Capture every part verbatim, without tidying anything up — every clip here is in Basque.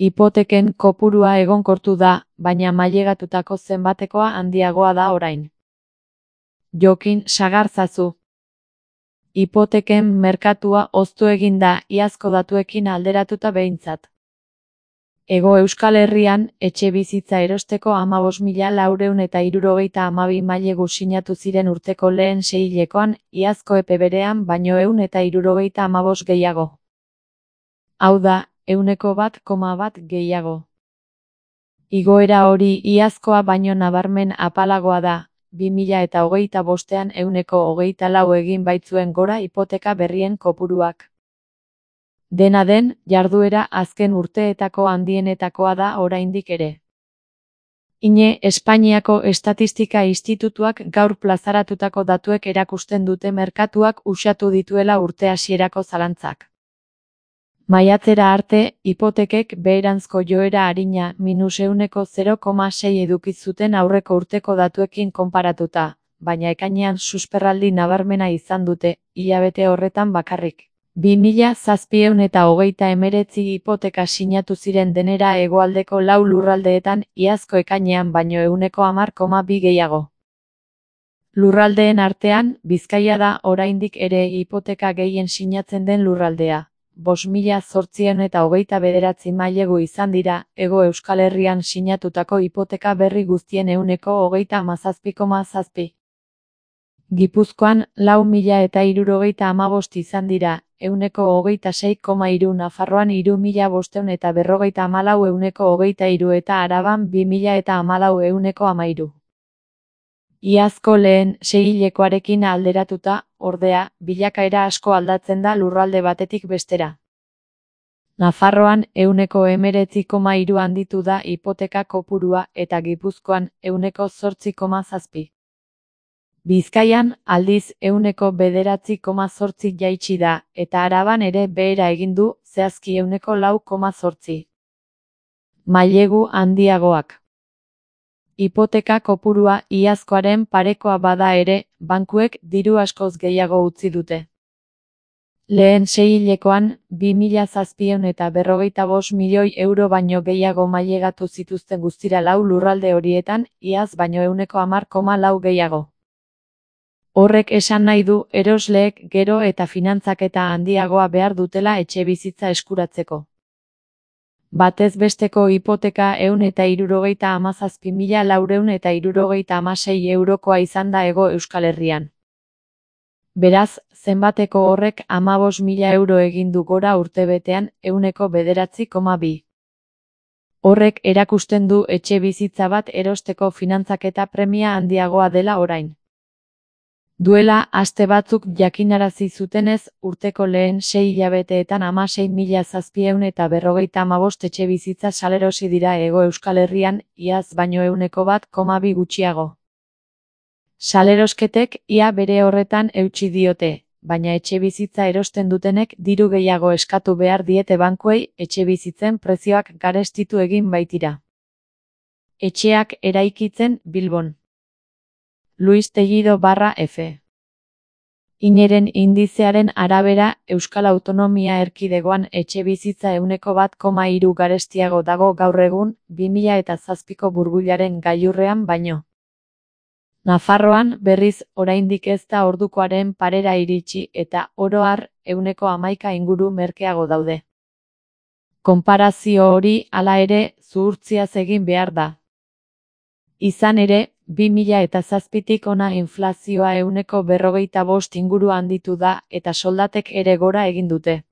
Hipoteken kopurua egonkortu da, baina mailegatutako zenbatekoa handiagoa da orain. Jokin Sagarzazu. Hipoteken merkatua hoztu egin da iazko datuekin alderatuta behintzat. Hego Euskal Herrian, etxebizitza erosteko hamabost mila laurehun eta hirurogeita hamabi mailegu sinatu ziren urteko lehen seihilekoan, iazko epe berean baino ehun eta hirurogeita hamabost gehiago. Hau da, ehuneko bat koma bat gehiago. Igoera hori iazkoa baino nabarmen apalagoa da, bi mila eta hogeita bostean ehuneko hogeita lau egin baitzuen gora hipoteka berrien kopuruak. Dena den, jarduera azken urteetako handienetakoa da oraindik ere. Ine Espainiako Estatistika Institutuak gaur plazaratutako datuek erakusten dute merkatuak uxatu dituela urte hasierako zalantzak. Maiatzera arte, hipotekek beheranzko joera arina minus ehuneko zero koma sei eduki zuten aurreko urteko datuekin konparatuta, baina ekainean susperraldi nabarmena izan dute, hilabete horretan bakarrik. bi mila zazpiehun eta hogeita hemeretzi hipoteka sinatu ziren denera hegoaldeko lau lurraldeetan iazko ekainean baino ehuneko hamar koma bi gehiago. Lurraldeen artean, Bizkaia da oraindik ere hipoteka gehien sinatzen den lurraldea. bost mila zortziehun eta hogeita bederatzi mailegu izan dira, Hego Euskal Herrian sinatutako hipoteka berri guztien ehuneko hogeita hamazazpi koma zazpi. Gipuzkoan, lau mila eta hirurogeita hamabost izan dira, ehuneko hogeita sei koma hiru, Nafarroan hiru mila bostehun eta berrogeita hamalau ehuneko hogeita hiru eta Araban bi mila eta hamalau ehuneko hamairu. Iazko lehen seihilekoarekin alderatuta, ordea, bilakaera asko aldatzen da lurralde batetik bestera. Nafarroan ehuneko hemeretzi koma hiru handitu da hipoteka kopurua eta Gipuzkoan ehuneko zortzi koma zazpi. Bizkaian, aldiz, ehuneko bederatzi koma zortzi jaitsi da, eta Araban ere behera egin du, zehazki ehuneko lau koma zortzi. Mailegu handiagoak. Hipoteka kopurua iazkoaren parekoa bada ere, bankuek diru askoz gehiago utzi dute. Lehen seihilekoan, bi mila zazpiehun eta berrogeita bost milioi euro baino gehiago mailegatu zituzten guztira lau lurralde horietan, iaz baino ehuneko hamar koma lau gehiago. Horrek esan nahi du erosleek gero eta finantzaketa handiagoa behar dutela etxebizitza eskuratzeko. Batez besteko hipoteka ehun eta hirurogeita hamazazpi mila laurehun eta hirurogeita hamasei eurokoa izan da Hego Euskal Herrian. Beraz, zenbateko horrek hamabost mila euro egin du gora urtebetean, ehuneko bederatzi koma bi. Horrek erakusten du etxebizitza bat erosteko finantzaketa premia handiagoa dela orain. Duela aste batzuk jakinarazi zutenez, urteko lehen sei hilabeteetan hamasei mila zazpiehun eta berrogeita hamabost etxebizitza salerosi dira Hego Euskal Herrian, iaz baino ehuneko bat koma bi gutxiago. Salerosketek ia bere horretan eutsi diote, baina etxebizitza erosten dutenek diru gehiago eskatu behar diete bankuei, etxebizitzen prezioak garestitu egin baitira. Etxeak eraikitzen Bilbon. Luis Tejido barra F. Ineren indizearen arabera, Euskal Autonomia Erkidegoan etxebizitza ehuneko bat koma hiru garestiago dago gaur egun, bi mila eta zazpiko burbuilaren gailurrean baino. Nafarroan, berriz, oraindik ez da ordukoaren parera iritsi eta, oro har, ehuneko hamaika inguru merkeago daude. Konparazio hori, hala ere, zuhurtziaz egin behar da. Izan ere, bi mila eta zazpitik hona inflazioa ehuneko berrogeita bost inguru handitu da eta soldatek ere gora egin dute.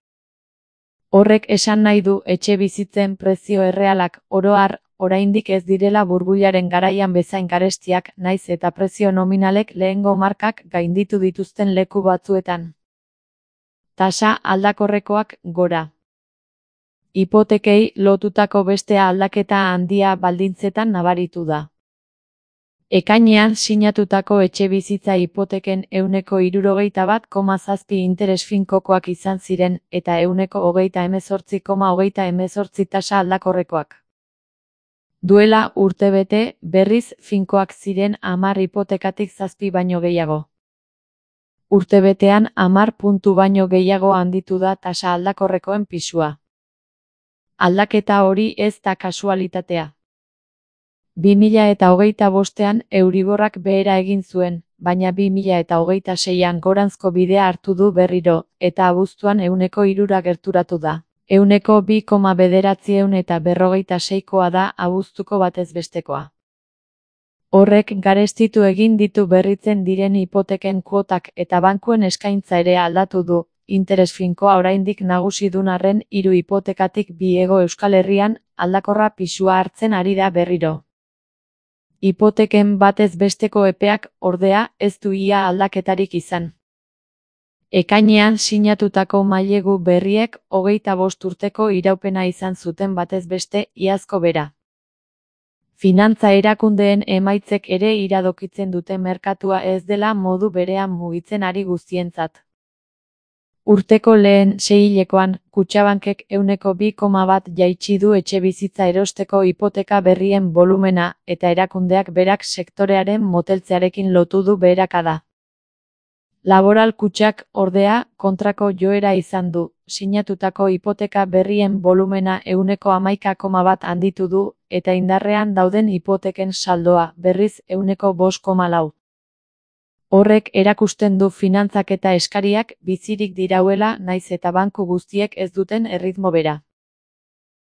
Horrek esan nahi du etxebizitzen prezio errealak, oro har, oraindik ez direla burbuilaren garaian bezain garestiak, naiz eta prezio nominalek lehengo markak gainditu dituzten leku batzuetan. Tasa aldakorrekoak gora. Hipotekei lotutako beste aldaketa handia baldintzetan nabaritu da. Ekainean sinatutako etxebizitza hipoteken ehuneko hirurogeita bat koma zazpi interes finkokoak izan ziren eta ehuneko hogeita hemezortzi koma hogeita hemezortzi tasa aldakorrekoak. Duela urtebete, berriz finkoak ziren hamar hipotekatik zazpi baino gehiago. Urtebetean hamar puntu baino gehiago handitu da tasa aldakorrekoen pisua. Aldaketa hori ez da kasualitatea. bi mila eta hogeita bostean Euriborrak behera egin zuen, baina bi mila eta hogeita seian goranzko bidea hartu du berriro, eta abuztuan ehuneko hirura gerturatu da. Ehuneko bi koma bederatziehun eta berrogeita seikoa da abuztuko batez bestekoa. Horrek garestitu egin ditu berritzen diren hipoteken kuotak eta bankuen eskaintza ere aldatu du, interes finkoa oraindik nagusi dun arren hiru hipotekatik bi Hego Euskal Herrian aldakorra pisua hartzen ari da berriro. Hipoteken batez besteko epeak, ordea, ez du ia aldaketarik izan. Ekainean sinatutako mailegu berriek hogeita bost urteko iraupena izan zuten batez beste iazko bera. Finantza erakundeen emaitzek ere iradokitzen dute merkatua ez dela modu berean mugitzen ari guztientzat. Urteko lehen seihilekoan, Kutxabankek ehuneko bi koma bat jaitsi du etxebizitza erosteko hipoteka berrien bolumena, eta erakundeak berak sektorearen moteltzearekin lotu du beherakada. Laboral Kutxak, ordea, kontrako joera izan du, sinatutako hipoteka berrien bolumena ehuneko hamaika koma bat handitu du, eta indarrean dauden hipoteken saldoa, berriz ehuneko bost koma lau. Horrek erakusten du finantzaketa eskariak bizirik dirauela nahiz eta banku guztiek ez duten erritmo bera.